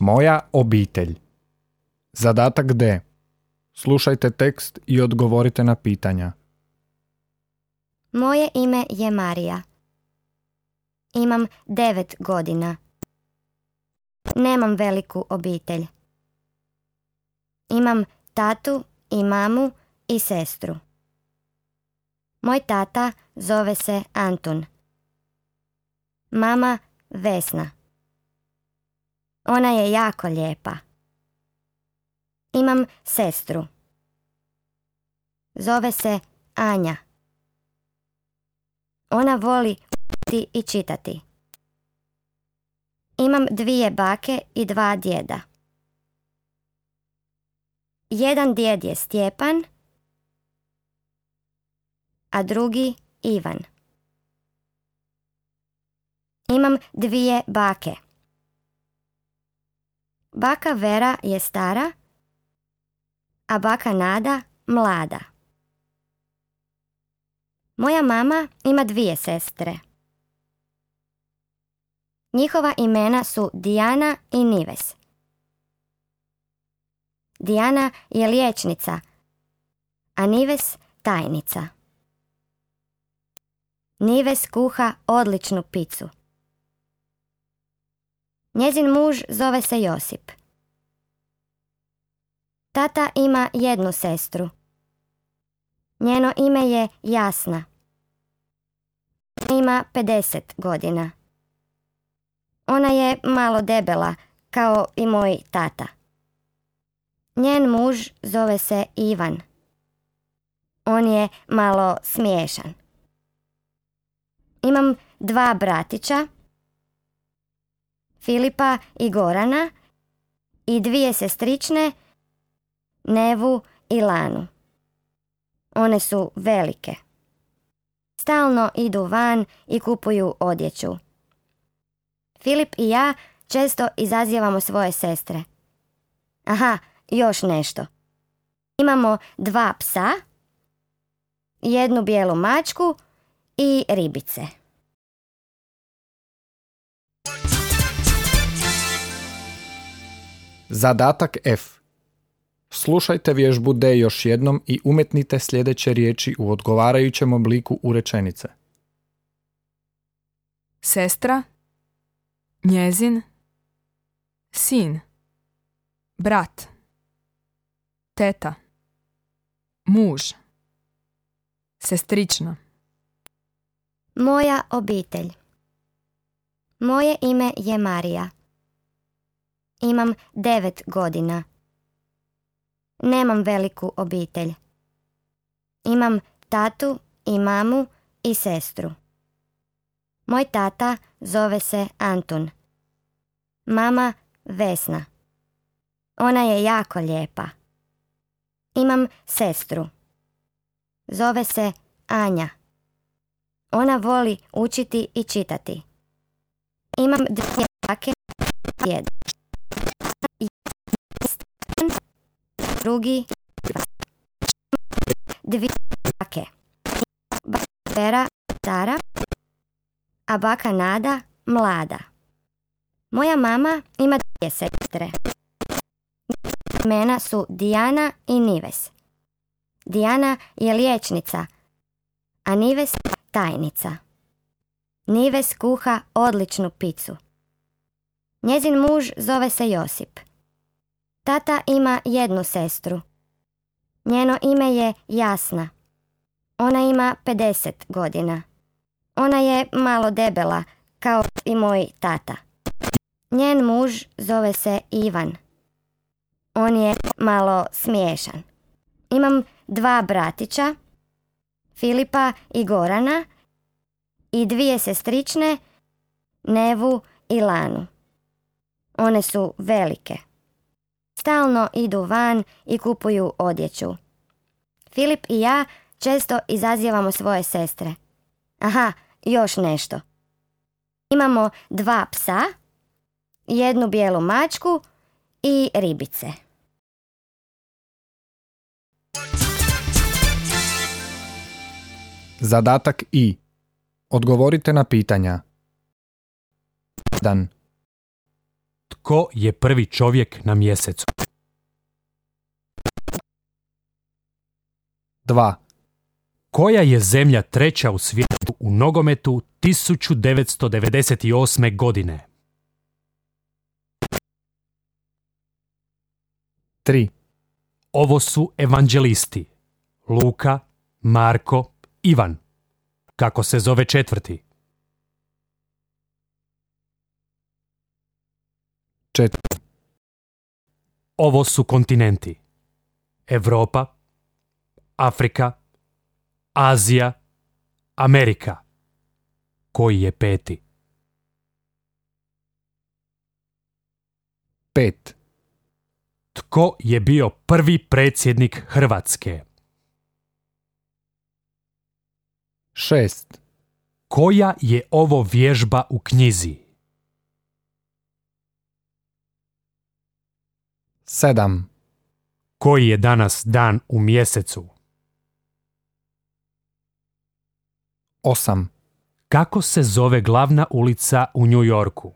Moja obitelj. Zadatak D. Slušajte tekst i odgovorite na pitanja. Moje ime je Marija. Imam 9 godina. Nemam veliku obitelj. Imam tatu i mamu i sestru. Moj tata zove se Antun. Mama Vesna. Ona je jako lijepa. Imam sestru. Zove se Anja. Ona voli učiti i čitati. Imam 2 bake i 2 djeda. Jedan djed je Stjepan, a drugi Ivan. Imam 2 bake. Baka Vera je stara, a baka Nada mlada. Moja mama ima 2 sestre. Njihova imena su Dijana i Nives. Dijana je liječnica, a Nives tajnica. Nives kuha odličnu picu. Njezin muž zove se Josip. Tata ima 1 sestru. Njeno ime je Jasna. Ima 50 godina. Ona je malo debela, kao i moj tata. Njen muž zove se Ivan. On je malo smiješan. Imam 2 bratića, Filipa i Gorana, i 2 sestrične, Nevu i Lanu. One su velike. Stalno idu van i kupuju odjeću. Filip i ja često izazivamo svoje sestre. Aha, još nešto. Imamo 2 psa, 1 bijelu mačku i ribice. Zadatak F. Slušajte vježbu D još jednom i umetnite sljedeće riječi u odgovarajućem obliku u rečenice. Sestra, njezin, sin, brat, teta, muž, sestrična. Moja obitelj. Moje ime je Marija. Imam 9 godina. Nemam veliku obitelj. Imam tatu i mamu i sestru. Moj tata zove se Antun. Mama Vesna. Ona je jako lijepa. Imam sestru. Zove se Anja. Ona voli učiti i čitati. Imam 2 bake i djeda. Drugi 2 bake. Baka Vera stara, a baka Nada mlada. Moja mama ima 2 sestre. Imena su Dijana i Nives. Dijana je liječnica, a Nives tajnica. Nives kuha odličnu picu. Njezin muž zove se Josip. Tata ima 1 sestru. Njeno ime je Jasna. Ona ima 50 godina. Ona je malo debela, kao i moj tata. Njen muž zove se Ivan. On je malo smiješan. Imam 2 bratića, Filipa i Gorana, i 2 sestrične, Nevu i Lanu. One su velike. Stalno idu van i kupuju odjeću. Filip i ja često izazivamo svoje sestre. Aha, još nešto. Imamo 2 psa, 1 bijelu mačku i ribice. Zadatak I. Odgovorite na pitanja. 1. Tko je prvi čovjek na mjesecu? 2, Koja je zemlja treća u svijetu u nogometu 1998. godine? 3, Ovo su evanđelisti. Luka, Marko, Ivan. Kako se zove četvrti? 4, Ovo su kontinenti. Europa, Afrika, Azija, Amerika. Koji je peti? 5, Tko je bio prvi predsjednik Hrvatske? 6, Koja je ovo vježba u knjizi? 7, Koji je danas dan u mjesecu? 8, Kako se zove glavna ulica u New Yorku?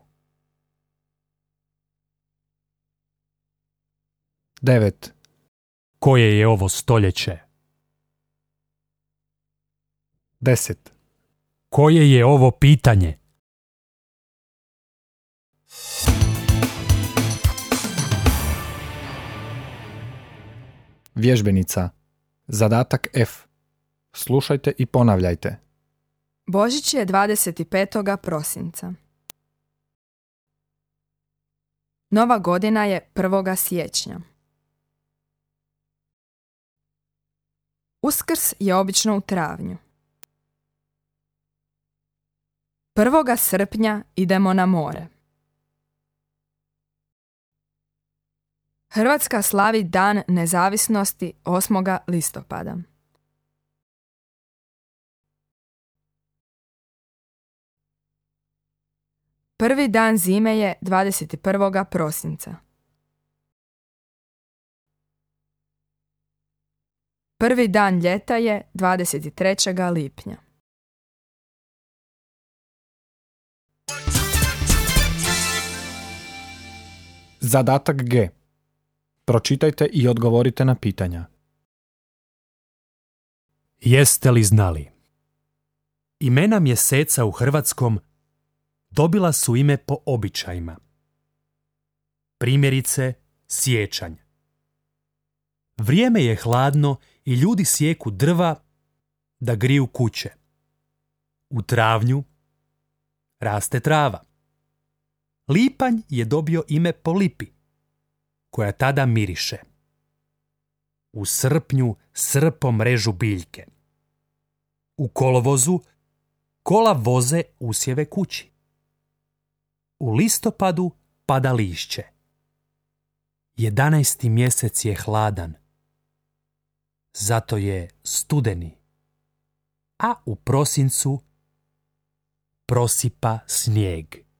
9, Koje je ovo stoljeće? 10, Koje je ovo pitanje? Vježbenica. Zadatak F. Slušajte i ponavljajte. Božić je 25. prosinca. Nova godina je 1. siječnja. Uskrs je obično u travnju. 1. srpnja idemo na more. Hrvatska slavi Dan nezavisnosti 8. listopada. Prvi dan zime je 21. prosinca. Prvi dan ljeta je 23. lipnja. Zadatak G. Pročitajte i odgovorite na pitanja. Jeste li znali? Imena mjeseca u hrvatskom dobila su ime po običajima. Primjerice, siječanj. Vrijeme je hladno i ljudi sijeku drva da griju kuće. U travnju raste trava. Lipanj je dobio ime po lipi, koja tada miriše. U srpnju srpom režu biljke. U kolovozu kola voze usjeve kući. U listopadu pada lišće. 11. mjesec je hladan. Zato je studeni. A u prosincu prosipa snijeg.